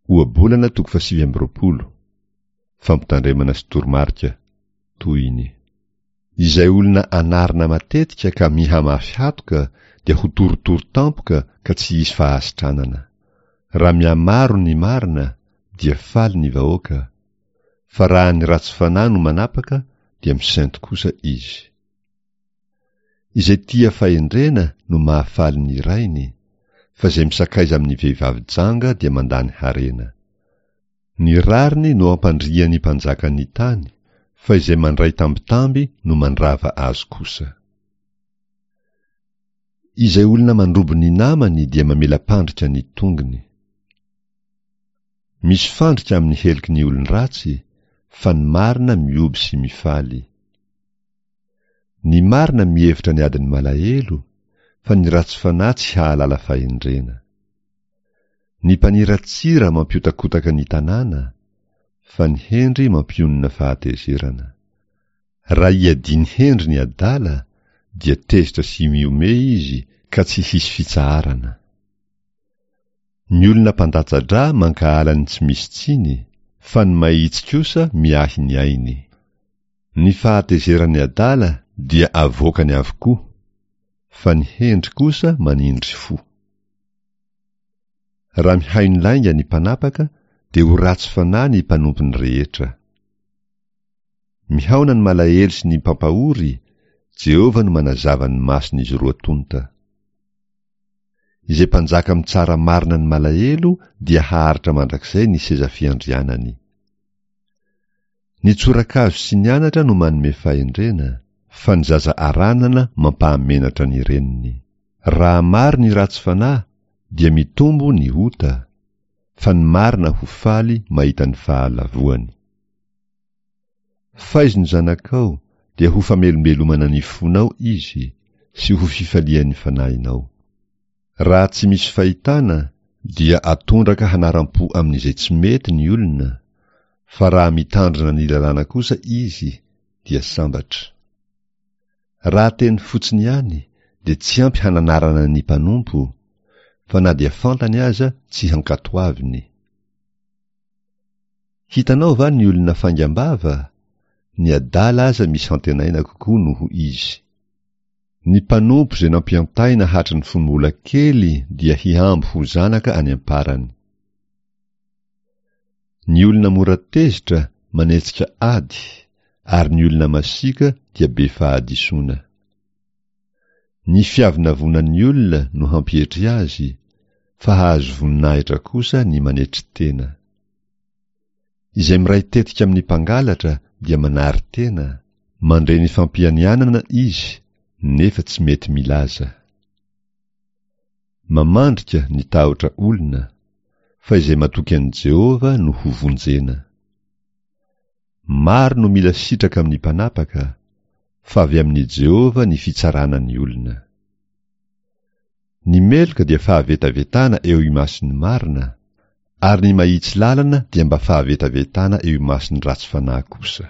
Ohabolana toko fahasivy amby 20. Fampitandremana sy toromarika. Tohiny. Izay olona anarina matetika ka mihamafy hatoka dia ho torotoro tampoka ka tsy hisy fahasitranana. Raha mihamaro ny marina dia faly ny vahoaka, fa raha ny ratsy fanahy no manapaka dia misento kosa izy. Izay tia fahendrena no mahafaly ny rainy, fa izay misakaiza amin'ny vehivavy janga dia mandany harena. Ny rariny no ampandrian'ny mpanjaka ny tany, fa izay mandray tambitamby no mandrava azy kosa. Izay olona mandrobo ny namany dia mamela-pandrika ny tongony. Misy fandrika amin'ny heloky ny olon-dratsy, fa ny marina mihoby sy mifaly. Ny marina mihevitra ny adin'ny malahelo, fa ny ratsy fanahy tsy hahalala fahendrena. Ny mpaniratsira mampiotakotaka ny tanàna, fa ny hendry mampionona fahatezerana. Raha iadiany hendry ny adala, dia tezitra sy mihomehy izy ka tsy hisy fitsaharana. Ny olona mpandatsa-drà mankahala ny tsy misy tsiny, fa ny mahitsy kosa miahy ny ainy. Ny fahatezeran'ny adala dia avoakany avokoa, fa ny hendry kosa manindry fo. Raha mihaino lainga ny mpanapaka dia ho ratsy fanahy ny mpanompony rehetra. Mihaona ny malahelo sy ny mpampahory, Jehovah no manazava ny mason'izy roa tonta. Izay mpanjaka mitsara marina ny malahelo dia haharitra mandrakizay ny seza fiandrianany. Ny tsorakazo sy ny anatra no manome fahendrena, fa ny zaza aranana mampahamenatra ny reniny. Raha maro ny ratsy fanahy dia mitombo ny ota, fa ny marina ho faly mahita ny fahalavoany. Faizo ny zanakao dia ho famelombelomana ny fonao izy sy ho fifalian'ny fanahinao. Raha tsy misy fahitana dia atondraka hanaram-po amin'izay tsy mety ny olona, fa raha mitandrina ny lalàna kosa izy dia sambatra. Raha teny fotsiny ihany dia tsy ampy hananarana ny mpanompo, fa na dia fantany aza tsy hankatoaviny. Hitanao va ny olona faingam-bava? Ny adala aza misy hantenaina kokoa noho izy. Ny mpanompo izay nampiantaina hatry ny fony mbola kely dia hihambo ho zanaka any am-parany. Ny olona mora tezitra manetsika ady, ary ny olona masiaka dia be fahadisoana. Ny fiavonavonan'ny olona no hampietry azy, fa hahazo voninahitra kosa ny manetry tena. Izay miray tetika amin'ny mpangalatra dia manary tena, mandre ny fampianianana izy nefa tsy mety milaza. Mamandrika ny tahotra olona, fa izay matoky an'i Jehovah no hovonjena. Maro no mila sitraka amin'ny mpanapaka, fa avy amin'i Jehovah ny fitsarana ny olona. Ny meloka dia fahavetavetana eo imason'ny marina, ary ny mahitsy lalana dia mba fahavetavetana eo imason'ny ratsy fanahy kosa.